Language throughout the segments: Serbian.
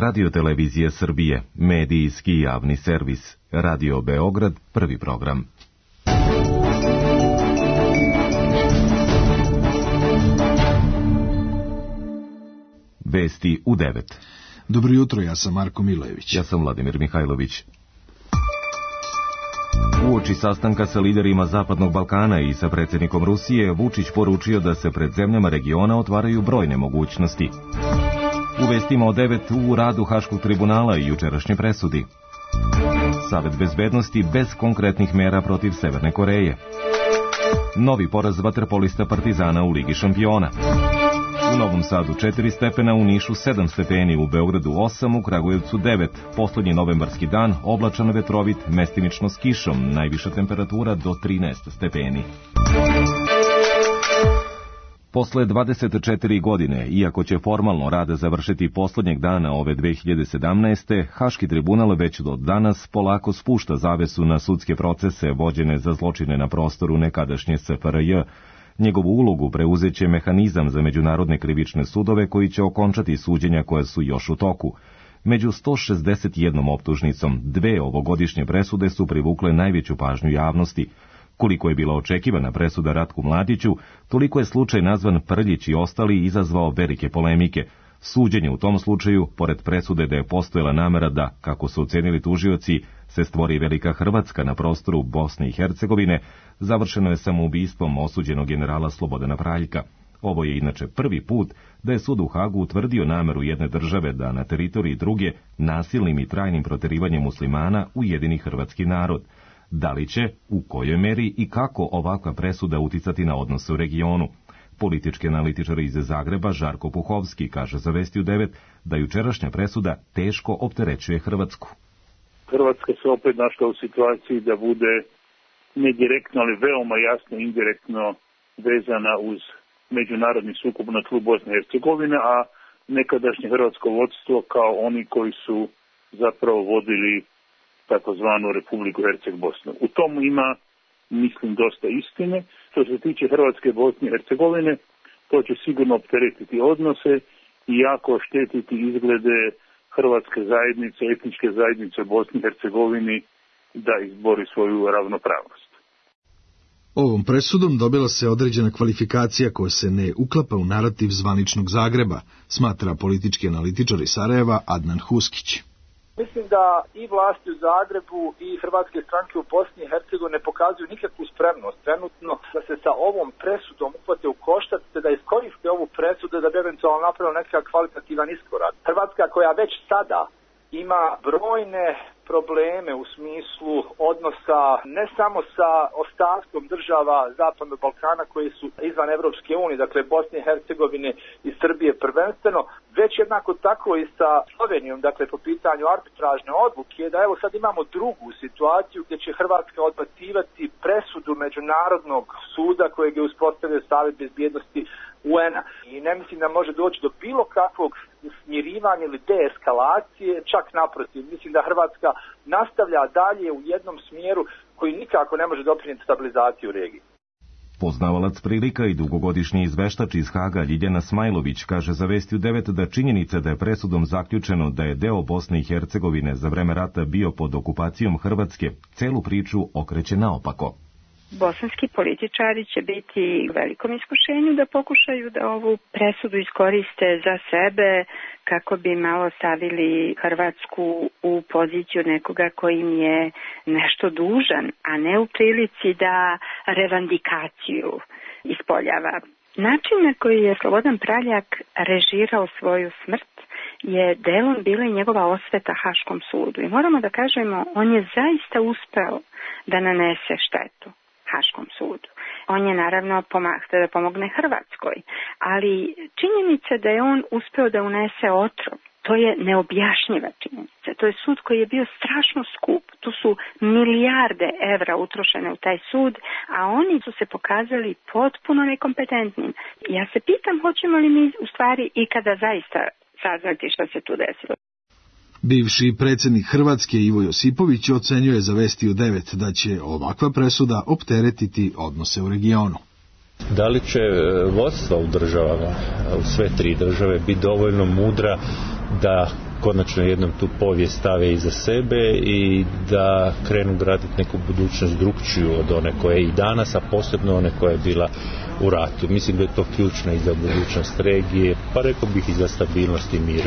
Radio-televizija Srbije, medijski javni servis. Radio Beograd, prvi program. Vesti u 9. Dobro jutro, ja sam Marko Milojević. Ja sam Vladimir Mihajlović. Uoči sastanka sa liderima Zapadnog Balkana i sa predsjednikom Rusije, Vučić poručio da se pred zemljama regiona otvaraju brojne mogućnosti. U vestima o 9 u radu Haškog tribunala i jučerašnje presudi. Savet bezbednosti bez konkretnih mera protiv Severne Koreje. Novi poraz vaterpolista Partizana u Ligi šampiona. U Novom Sadu 4 stepena, u Nišu 7 stepeni, u Beogradu 8, u Kragujevcu 9. Poslednji novembarski dan, oblačan, vetrovit, mestimično s kišom, najviša temperatura do 13 stepeni. Posle 24 godine, iako će formalno rade završiti poslednjeg dana ove 2017. Haški tribunal već do danas polako spušta zavesu na sudske procese vođene za zločine na prostoru nekadašnje SFRJ. Njegovu ulogu preuzeće mehanizam za međunarodne krivične sudove koji će okončati suđenja koja su još u toku. Među 161 optužnicom, 2 ovogodišnje presude su privukle najveću pažnju javnosti. Koliko je bila očekivana presuda Ratku Mladiću, toliko je slučaj nazvan Prljić i ostali izazvao velike polemike. Suđenje u tom slučaju, pored presude da je postojala namera da, kako su ocenili tužioci, se stvori velika Hrvatska na prostoru Bosne i Hercegovine, završeno je samoubistvom osuđenog generala Slobodana Praljka. Ovo je inače prvi put da je sud u Hagu utvrdio nameru jedne države da na teritoriji druge nasilnim i trajnim proterivanjem muslimana ujedini hrvatski narod. Da li će, u kojoj meri i kako ovakva presuda uticati na odnose u regionu? Politički analitičar iz Zagreba Žarko Puhovski kaže za Vesti u 9 da jučerašnja presuda teško opterećuje Hrvatsku. Hrvatska se opet našla u situaciji da bude ne direktno, ali veoma jasno indirektno vezana uz međunarodni sukob na tlu Bosne i Hercegovine, a nekadašnje hrvatsko vodstvo kao oni koji su zapravo vodili takozvanu Republiku Herceg-Bosnu. U tomu ima, mislim, dosta istine. Što se tiče Hrvatske, Bosne i Hercegovine, to će sigurno opteretiti odnose i jako oštetiti izglede hrvatske zajednice, etničke zajednice u Bosni i Hercegovini da izbori svoju ravnopravnost. Ovom presudom dobila se određena kvalifikacija koja se ne uklapa u narativ zvaničnog Zagreba, smatra politički analitičar iz Sarajeva Adnan Huskić. Mislim da i vlasti u Zagrebu i hrvatske stranke u Bosni i Hercegovini ne pokazuju nikakvu spremnost trenutno da se sa ovom presudom uhvate u koštac, te da iskoriste ovu presudu da bi eventualno napravila nekakav kvalitativan iskorak. Hrvatska koja već sada ima brojne probleme u smislu odnosa ne samo sa ostatkom država Zapadnog Balkana koji su izvan Evropske unije, dakle Bosne i Hercegovine i Srbije prvenstveno, već jednako tako i sa Slovenijom, dakle po pitanju arbitražne odluke, da evo sad imamo drugu situaciju gdje će Hrvatska odbacivati presudu Međunarodnog suda kojeg je uspostavio Savet bezbjednosti UN-a. I ne mislim da može doći do bilo kakvog smirivanja ili deeskalacije, čak naprotiv. Mislim da Hrvatska nastavlja dalje u jednom smjeru koji nikako ne može doprinijeti stabilizaciju u regiji. Poznavalac prilika i dugogodišnji izveštač iz Haga Ljiljana Smajlović kaže za Vesti u 9 da činjenica da je presudom zaključeno da je deo Bosne i Hercegovine za vreme rata bio pod okupacijom Hrvatske, celu priču okreće naopako. Bosanski političari će biti u velikom iskušenju da pokušaju da ovu presudu iskoriste za sebe kako bi malo stavili Hrvatsku u poziciju nekoga koji im je nešto dužan, a ne u prilici da revandikaciju ispoljava. Način na koji je Slobodan Praljak režirao svoju smrt je delom bila i njegova osveta Haškom sudu. I moramo da kažemo, on je zaista uspeo da nanese štetu Haškom sudu. On je naravno htio da pomogne Hrvatskoj, ali činjenica da je on uspeo da unese otrov, to je neobjašnjiva činjenica. To je sud koji je bio strašno skup. Tu su milijarde evra utrošene u taj sud, a oni su se pokazali potpuno nekompetentnim. Ja se pitam hoćemo li mi u stvari ikada zaista saznati što se tu desilo. Bivši predsjednik Hrvatske Ivo Josipović ocenjuje za Vesti u 9 da će ovakva presuda opteretiti odnose u regionu. Da li će vodstva u državama, u sve tri države, biti dovoljno mudra da konačno jednom tu povijest stave iza sebe i da krenu graditi neku budućnost drukčiju od one koja je i danas, a posebno one koja je bila u ratu. Mislim da je to ključno i za budućnost regije, pa rekao bih i za stabilnost i mir.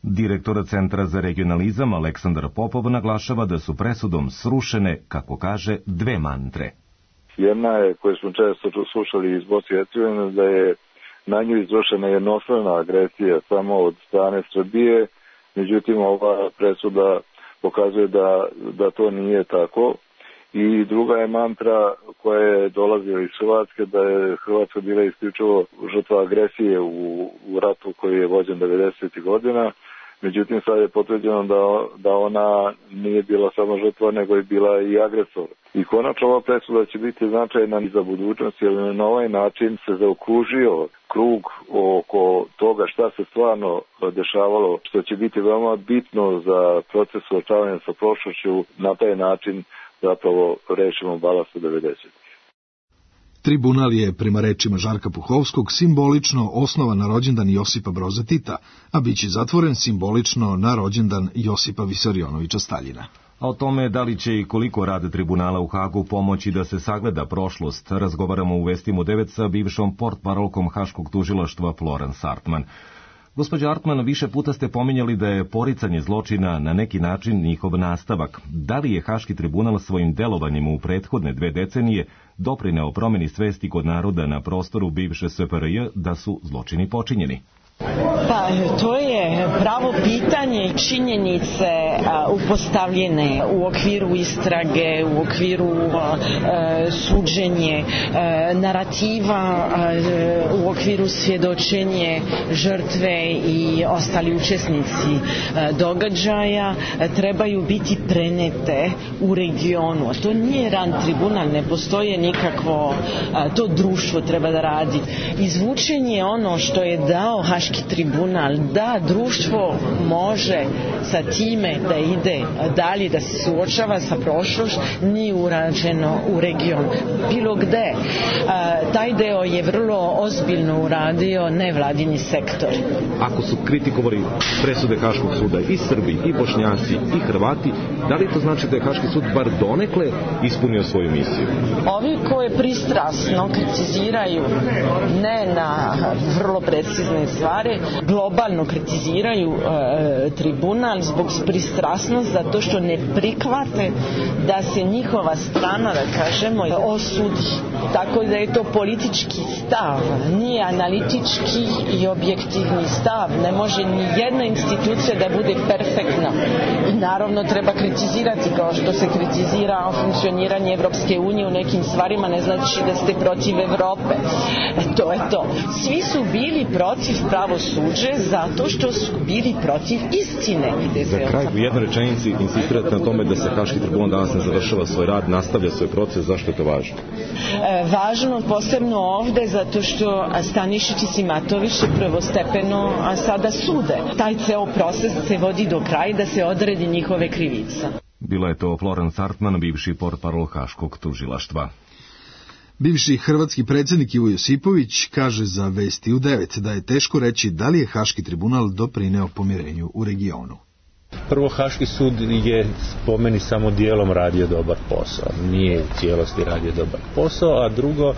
Direktor Centra za regionalizam Aleksandar Popov naglašava da su presudom srušene, kako kaže, dve mantre. Jedna je, koju smo često slušali iz Bosne i Hercegovine, da je na nju izvršena jednostrana agresija samo od strane Srbije, međutim ova presuda pokazuje da to nije tako. I druga je mantra koja je dolazila iz Hrvatske, da je Hrvatska bila isključivo žrtva agresije u ratu koji je vođen 90. godina. Međutim, sad je potvrđeno da ona nije bila samo žrtva, nego je bila i agresor. I konačno ova presuda će biti značajna i za budućnost, jer na ovaj način se zaokružio krug oko toga šta se stvarno dešavalo, što će biti veoma bitno za proces suočavanja sa prošlošću. Na taj način zapravo rešimo balast u 90. Tribunal je, prema rečima Žarka Puhovskog, simbolično osnovan na rođendan Josipa Broza Tita, a biće zatvoren simbolično na rođendan Josipa Visarionovića Staljina. A o tome da li će i koliko rad tribunala u Hagu pomoći da se sagleda prošlost, razgovaramo u Vestima u 9 sa bivšom portparolkom Haškog tužilaštva Florence Artman. Gospođo Artman, više puta ste pominjali da je poricanje zločina na neki način njihov nastavak. Da li je Haški tribunal svojim delovanjem u prethodne 2 decenije doprineo promjeni svesti kod naroda na prostoru bivše SFRJ da su zločini počinjeni? Pa to je pravo pitanje i činjenice upostavljene u okviru istrage, u okviru suđenje, narativa, u okviru svjedočenje žrtve i ostali učesnici događaja trebaju biti prenete u regionu. To nije ran tribunal, ne postoje nikakvo, to društvo treba da radi. Izvučenje ono što je dao Haški tribunal, da društvo može sa time da ide dalje, da se suočava sa prošlošću, nije urađeno u regionu. Bilo gde. Taj deo je vrlo ozbiljno uradio nevladini sektor. Ako su kritikovali presude Haškog suda i Srbi, i Bošnjaci, i Hrvati, da li to znači da je Haški sud bar donekle ispunio svoju misiju? Ovi koje pristrasno kritiziraju, ne na vrlo precizne stvari, globalno kritiziraju tribunal zbog pristrasnosti, zato što ne prihvate da se njihova strana, da kažemo, osudi. Tako da je to politički stav, nije analitički i objektivni stav. Ne može ni jedna institucija da bude perfektna. I naravno treba kritizirati, kao što se kritizira funkcioniranje Evropske unije u nekim stvarima, ne znači da ste protiv Evrope. To je to. Svi su bili protiv pravosuđe zato što su bili protiv istine. Za kraj, u jednoj rečenici insistirate na tome da se Haški tribunal danas ne završava svoj rad, nastavlja svoj proces. Zašto je to važno? Važno posebno ovde zato što Stanišić i Simatović su prvostepeno sada sude. Taj ceo proces se vodi do kraja da se odredi njihove krivice. Bila je to Florence Artman, bivši portparol Haškog tužilaštva. Bivši hrvatski predsjednik Ivo Josipović kaže za Vesti u 9 da je teško reći da li je Haški tribunal doprineo pomirenju u regionu. Prvo, Haški sud je po meni samo dijelom radio dobar posao, nije u cijelosti radio dobar posao, a drugo,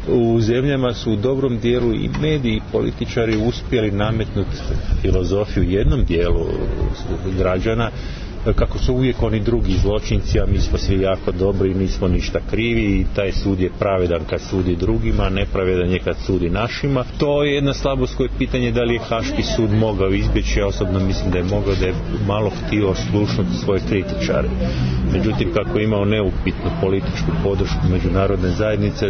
u zemljama su u dobrom dijelu i mediji i političari uspjeli nametnuti filozofiju jednom dijelu građana, kako su uvijek oni drugi zločinci, a mi smo svi jako dobri i nismo ništa krivi i taj sud je pravedan kad sudi drugima, nepravedan je kad sudi našima. To je jedna slabost koje je pitanje da li je Haški sud mogao izbjeći. Ja osobno mislim da je mogao, da je malo htio slušnuti svoje kritičare. Međutim, kako je imao neupitnu političku podršku međunarodne zajednice,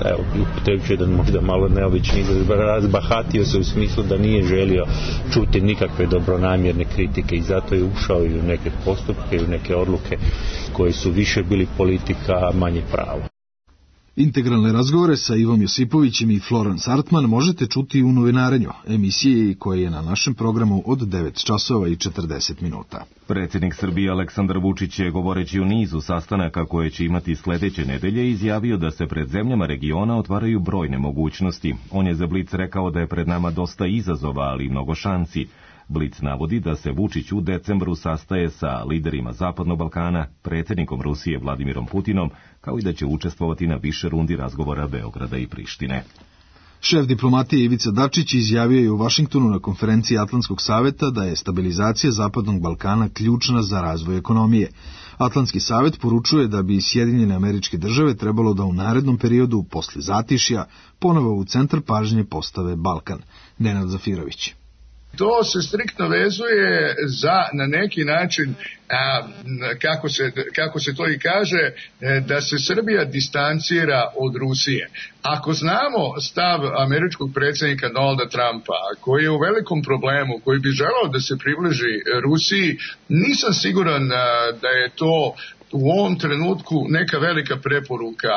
evo, upotrebit ću jedan možda malo neobični izraz, razbahatio se u smislu da nije želio čuti nikakve dobronamjerne kritike i zato je ušao i u neke postupke i u neke odluke koji su više bili politika, a manje pravo. Integralne razgovore sa Ivom Josipovićem i Florence Artman možete čuti u Novinarenju, emisiji koja je na našem programu od 9 časova i 40 minuta. Predsjednik Srbije Aleksandar Vučić je, govoreći u nizu sastanaka koje će imati sljedeće nedelje, izjavio da se pred zemljama regiona otvaraju brojne mogućnosti. On je za Blic rekao da je pred nama dosta izazova, ali i mnogo šansi. Blic navodi da se Vučić u decembru sastaje sa liderima Zapadnog Balkana, predsjednikom Rusije Vladimirom Putinom, kao i da će učestvovati na više rundi razgovora Beograda i Prištine. Šef diplomatije Ivica Dačić izjavio je u Vašingtonu na konferenciji Atlantskog saveta da je stabilizacija Zapadnog Balkana ključna za razvoj ekonomije. Atlantski savet poručuje da bi Sjedinjene Američke Države trebalo da u narednom periodu, posle zatišja, ponovo u centar pažnje postave Balkan. Nenad Zafirović. To se striktno vezuje za, na neki način, kako se to i kaže, da se Srbija distancira od Rusije. Ako znamo stav američkog predsjednika Donalda Trumpa, koji je u velikom problemu, koji bi želeo da se približi Rusiji, nisam siguran da je to u ovom trenutku neka velika preporuka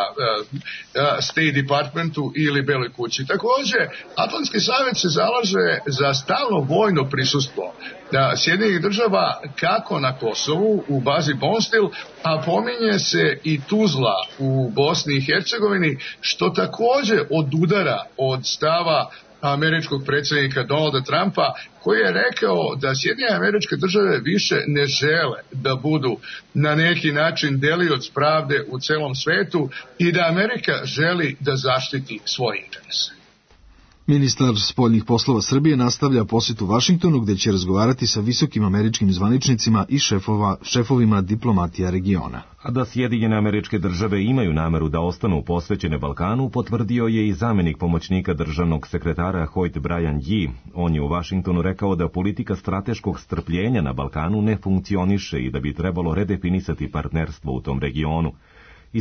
State Departmentu ili Beloj kući. Također, Atlantski savjet se zalaže za stalno vojno prisustvo Sjedinjenih država kako na Kosovu u bazi Bonstil, a pominje se i Tuzla u Bosni i Hercegovini, što također odudara od stava američkog predsjednika Donalda Trumpa, koji je rekao da Sjedinjene Američke Države više ne žele da budu na neki način delioc pravde u celom svetu i da Amerika želi da zaštiti svoje interese. Ministar spoljnih poslova Srbije nastavlja posjet u Vašingtonu, gde će razgovarati sa visokim američkim zvaničnicima i šefovima diplomatija regiona. A da Sjedinjene Američke Države imaju nameru da ostanu posvećene Balkanu, potvrdio je i zamjenik pomoćnika državnog sekretara Hoyt Bryan Yee. On je u Vašingtonu rekao da politika strateškog strpljenja na Balkanu ne funkcioniše i da bi trebalo redefinisati partnerstvo u tom regionu.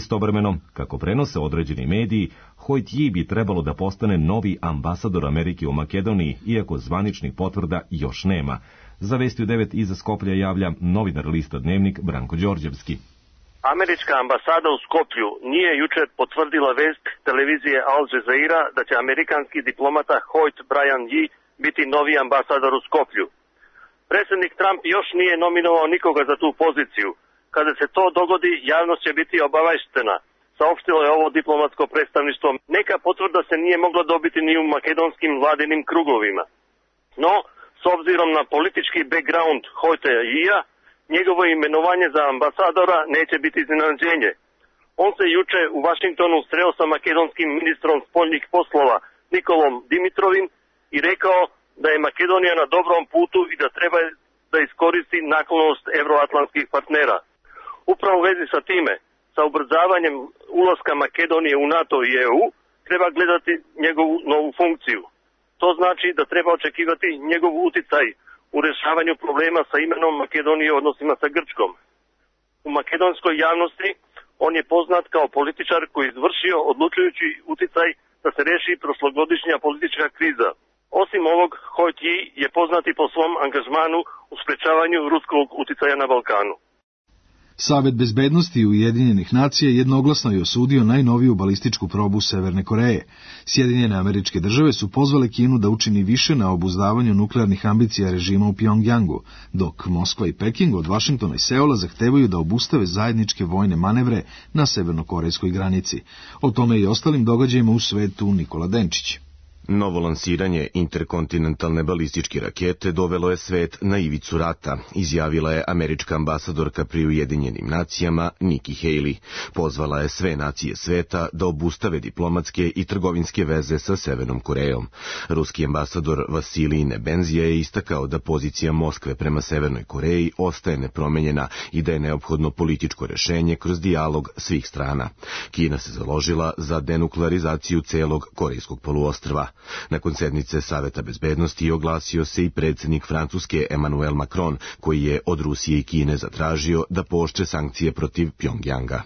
Istovremeno, kako prenose određeni mediji, Hoyt Yee bi trebalo da postane novi ambasador Amerike u Makedoniji, iako zvaničnih potvrda još nema. Za Vesti u 9 iz Skoplja javlja novinar lista Dnevnik Branko Đorđevski. Američka ambasada u Skoplju nije jučer potvrdila vest televizije Al Jazeera da će amerikanski diplomata Hoyt Bryan Yee biti novi ambasador u Skoplju. Predsjednik Trump još nije nominovao nikoga za tu poziciju. Kada se to dogodi, javnost će biti obaveštena, saopštilo je ovo diplomatsko predstavništvo. Neka potvrda se nije mogla dobiti ni u makedonskim vladinim krugovima. No, s obzirom na politički background Hoyta Yeea, njegovo imenovanje za ambasadora neće biti iznenađenje. On se juče u Vašingtonu sreo sa makedonskim ministrom spoljnih poslova Nikolom Dimitrovim i rekao da je Makedonija na dobrom putu i da treba da iskoristi naklonost evroatlantskih partnera. Upravo u vezi sa time, sa ubrzavanjem ulaska Makedonije u NATO i EU, treba gledati njegovu novu funkciju. To znači da treba očekivati njegov uticaj u rješavanju problema sa imenom Makedonije u odnosima sa Grčkom. U makedonskoj javnosti on je poznat kao političar koji je izvršio odlučujući uticaj da se riješi prošlogodišnja politička kriza. Osim ovog, Hoyt Yee je poznati po svom angažmanu u sprečavanju ruskog uticaja na Balkanu. Savet bezbednosti Ujedinjenih nacija jednoglasno je osudio najnoviju balističku probu Severne Koreje. Sjedinjene Američke Države su pozvale Kinu da učini više na obuzdavanju nuklearnih ambicija režima u Pjongjangu, dok Moskva i Peking od Vašingtona i Seula zahtevaju da obustave zajedničke vojne manevre na severnokorejskoj granici. O tome i ostalim događajima u svetu Nikola Denčić. Novo lansiranje interkontinentalne balističke rakete dovelo je svet na ivicu rata, izjavila je američka ambasadorka pri Ujedinjenim nacijama Nikki Haley. Pozvala je sve nacije sveta da obustave diplomatske i trgovinske veze sa Severnom Korejom. Ruski ambasador Vasilij Nebenzija je istakao da pozicija Moskve prema Severnoj Koreji ostaje nepromenjena i da je neophodno političko rešenje kroz dijalog svih strana. Kina se založila za denuklearizaciju celog korejskog poluostrva. Nakon sednice Saveta bezbednosti oglasio se i predsjednik Francuske Emmanuel Macron, koji je od Rusije i Kine zatražio da pooštre sankcije protiv Pjongjanga.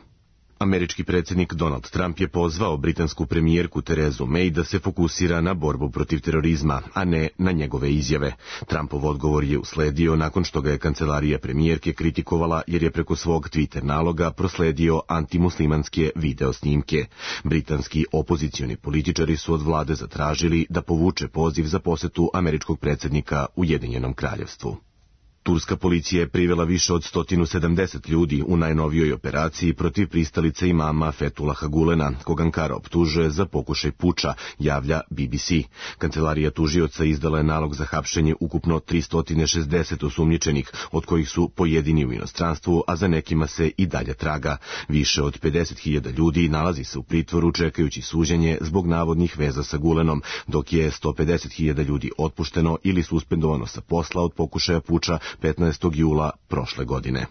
Američki predsjednik Donald Trump je pozvao britansku premijerku Terezu May da se fokusira na borbu protiv terorizma, a ne na njegove izjave. Trumpov odgovor je usledio nakon što ga je kancelarija premijerke kritikovala jer je preko svog Twitter naloga prosledio antimuslimanske video snimke. Britanski opozicioni političari su od vlade zatražili da povuče poziv za posetu američkog predsjednika Ujedinjenom kraljevstvu. Turska policija je privela više od 170 ljudi u najnovijoj operaciji protiv pristalice imama Fethullaha Gulena, kog Ankara optužuje za pokušaj puča, javlja BBC. Kancelarija tužioca izdala je nalog za hapšenje ukupno 360 osumnjičenih, od kojih su pojedini u inostranstvu, a za nekima se i dalje traga. Više od 50.000 ljudi nalazi se u pritvoru čekajući suđenje zbog navodnih veza sa Gulenom, dok je 150.000 ljudi otpušteno ili suspendovano sa posla od pokušaja puča 15. jula prošle godine.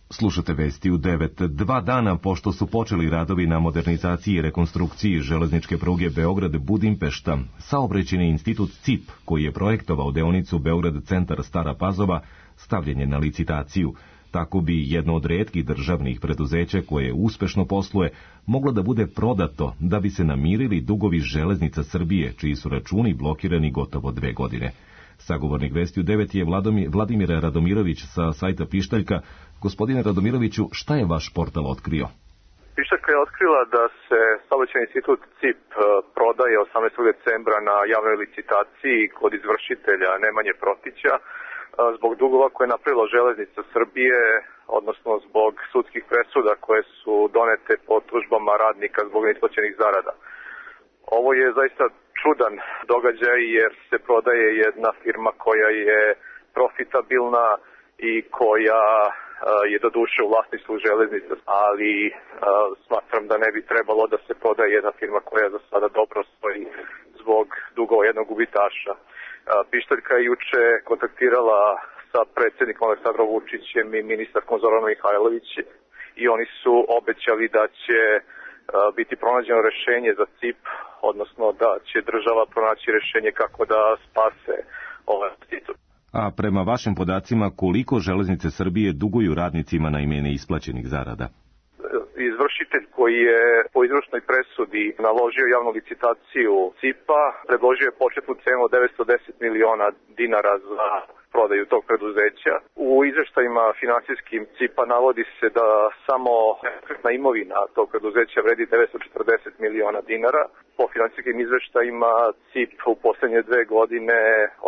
Slušate vesti u 9. 2 dana pošto su počeli radovi na modernizaciji i rekonstrukciji železničke pruge Beograd-Budimpešta, Saobraćajni institut CIP, koji je projektovao deonicu Beograd-Centar Stara Pazova, stavljen je na licitaciju. Tako bi jedno od retkih državnih preduzeća koje uspešno posluje moglo da bude prodato da bi se namirili dugovi Železnica Srbije, čiji su računi blokirani gotovo 2 godine. Sagovornik vesti u 9 je Vladimir Radomirović sa sajta Pištaljka. Gospodine Radomiroviću, šta je vaš portal otkrio? Pištaljka je otkrila da se Saobraćajni institut CIP prodaje 18. decembra na javnoj licitaciji kod izvršitelja Nemanje Protića zbog dugova koje je napravila Železnica Srbije, odnosno zbog sudskih presuda koje su donete po tužbama radnika zbog neisplaćenih zarada. Ovo je zaista čudan događaj jer se prodaje jedna firma koja je profitabilna i koja je doduše u vlasništvu Železnice, ali smatram da ne bi trebalo da se prodaje jedna firma koja za sada dobro stoji zbog dugova jednog gubitaša. Pištaljka je juče kontaktirala sa predsjednikom Aleksandrom Vučićem i ministarkom Zoranom Mihajlović i oni su obećali da će biti pronađeno rešenje za CIP, odnosno da će država pronaći rešenje kako da spase ovaj institut. A prema vašim podacima, koliko Železnice Srbije duguju radnicima na ime neisplaćenih zarada? Izvršitelj koji je po izvršnoj presudi naložio javnu licitaciju CIP-a predložio je početnu cenu od 910 miliona dinara za prodaju tog preduzeća. U izveštajima finansijskim CIP-a navodi se da samo efektna imovina tog preduzeća vredi 940 miliona dinara. Po finansijskim izveštajima CIP u posljednje 2 godine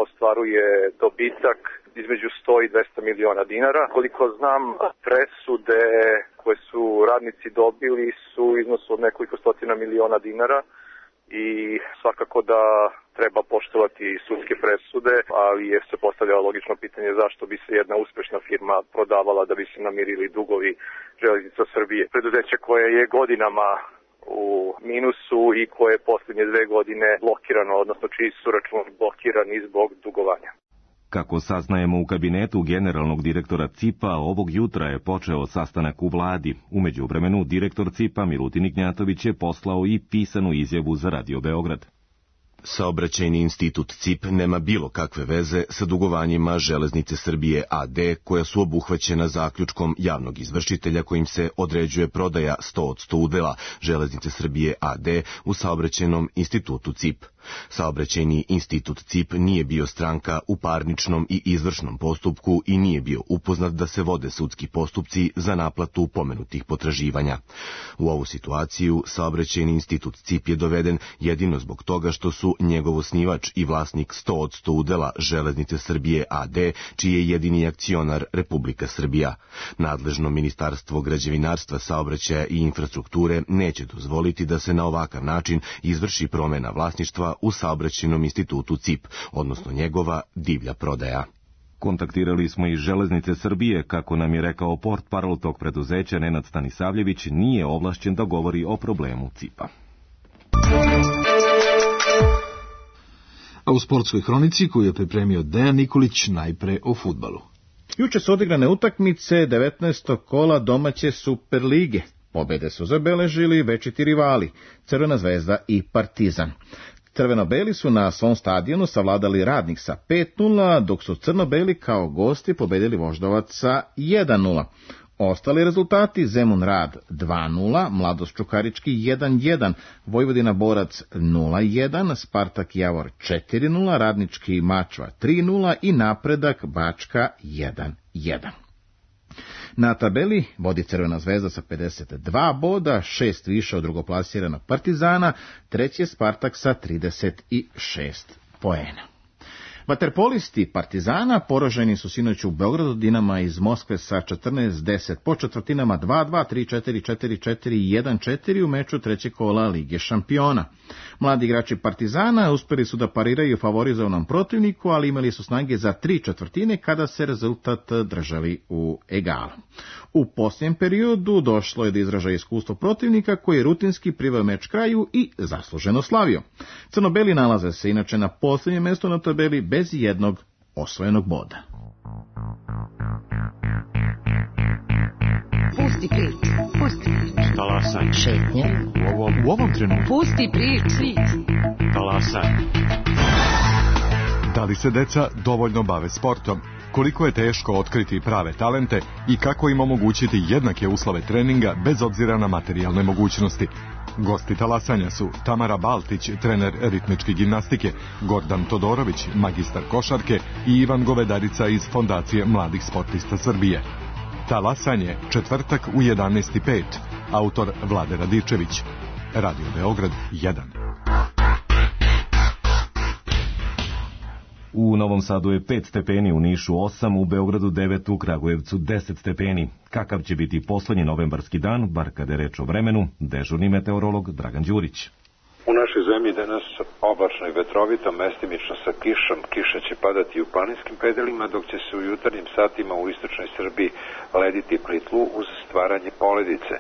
ostvaruje dobitak između 100 i 200 miliona dinara. Koliko znam, presude koje su radnici dobili su u iznosu od nekoliko stotina miliona dinara i svakako da treba poštovati sudske presude, ali je se postavljalo logično pitanje zašto bi se jedna uspešna firma prodavala da bi se namirili dugovi Železnica Srbije. Preduzeće koje je godinama u minusu i koje je posljednje 2 godine blokirano, odnosno čiji su računi blokirani zbog dugovanja. Kako saznajemo u kabinetu generalnog direktora CIP-a, ovog jutra je počeo sastanak u vladi. U međuvremenu, direktor CIP-a Milutin Ignjatović je poslao i pisanu izjavu za Radio Beograd. Saobraćajni institut CIP nema bilo kakve veze sa dugovanjima Železnice Srbije AD, koja su obuhvaćena zaključkom javnog izvršitelja kojim se određuje prodaja 100% udela Železnice Srbije AD u Saobraćajnom institutu CIP. Saobraćajni institut CIP nije bio stranka u parničnom i izvršnom postupku i nije bio upoznat da se vode sudski postupci za naplatu pomenutih potraživanja. U ovu situaciju Saobraćajni institut CIP je doveden jedino zbog toga što su njegov osnivač i vlasnik 100% udela Železnice Srbije AD, čiji je jedini akcionar Republika Srbija. Nadležno Ministarstvo građevinarstva, saobraćaja i infrastrukture neće dozvoliti da se na ovakav način izvrši promena vlasništva u Saobraćajnom institutu CIP, odnosno njegova divlja prodaja. Kontaktirali smo i Železnice Srbije, kako nam je rekao portparol tog preduzeća Nenad Stanisavljević, nije ovlašćen da govori o problemu CIP-a. A u sportskoj hronici koju je pripremio Dejan Nikolić, najpre o fudbalu. Juče su odigrane utakmice 19. kola domaće Superlige. Pobede su zabeležili večiti rivali, Crvena zvezda i Partizan. Crveno-beli su na svom stadionu savladali Radnik sa 5:0, dok su crno-beli kao gosti pobedili Voždovac sa 1:0. Ostali rezultati: Zemun Rad 2:0, Mladost Čukarički 1:1, Vojvodina Borac 0:1, Spartak Javor 4:0, Radnički Mačva 3:0 i Napredak Bačka 1:1. Na tabeli vodi Crvena zvezda sa 52 boda, 6 više od drugoplasiranog Partizana, treći je Spartak sa 36 poena. Vaterpolisti Partizana poraženi su sinoć u Beogradu Dinama iz Moskve sa 14-10 po četvrtinama 2-2, 3-4, 4-4 i 1-4 u meču trećeg kola Lige šampiona. Mladi igrači Partizana uspeli su da pariraju favorizovanom protivniku, ali imali su snage za 3/4 kada se rezultat držali u egalu. U posljednjem periodu došlo je do izražaja iskustvo protivnika koji je rutinski priveo meč kraju i zasluženo slavio. Crnobeli nalaze se inače na posljednjem mjestu na tabeli bez jednog osvojenog boda. Pusti priču, pusti priču. Talasaj. Šetnja. U ovom trenutku. Pusti priču. Talasaj. Da li se deca dovoljno bave sportom? Koliko je teško otkriti prave talente i kako im omogućiti jednake uslove treninga bez obzira na materijalne mogućnosti? Gosti talasanja su Tamara Baltić, trener ritmičke gimnastike, Gordan Todorović, magistar košarke i Ivan Govedarica iz Fondacije mladih sportista Srbije. Talasanje, četvrtak u 11:05. Autor Vlade Radičević. Radio Beograd 1. U Novom Sadu je 5 stepeni, u Nišu 8, u Beogradu 9, u Kragujevcu 10 stepeni. Kakav će biti poslednji novembarski dan, bar kada je reč o vremenu, dežurni meteorolog Dragan Đurić. U našoj zemlji danas oblačno i vetrovito, mestimično sa kišom. Kiša će padati u planinskim predelima, dok će se u jutarnjim satima u istočnoj Srbiji lediti pri tlu uz stvaranje poledice.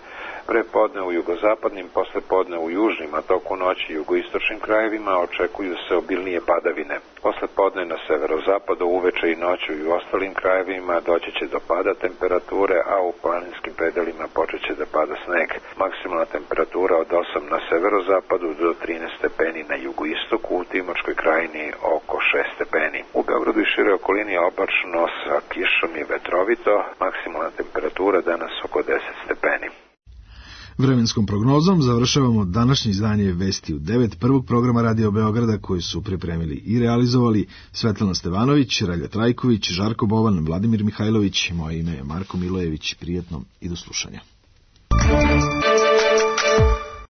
Pre podne u jugozapadnim, posle podne u južnim, a toku noći i jugoistočnim krajevima očekuju se obilnije padavine. Posle podne na severozapadu, uveče i noću i u ostalim krajevima doći će do pada temperature, a u planinskim predelima počet će da pada sneg. Maksimalna temperatura od 8 na severozapadu do 13 stepeni na jugoistoku, u Timočkoj krajini oko 6 stepeni. U Beogradu i šire okolini oblačno sa kišom i vetrovito, maksimalna temperatura danas oko 10 stepeni. Vremenskom prognozom završavamo današnje izdanje Vesti u 9 prvog programa Radio Beograda koji su pripremili i realizovali Svetlana Stevanović, Relja Trajković, Žarko Bovan, Vladimir Mihajlović, moje ime je Marko Milojević. Prijetno i do slušanja.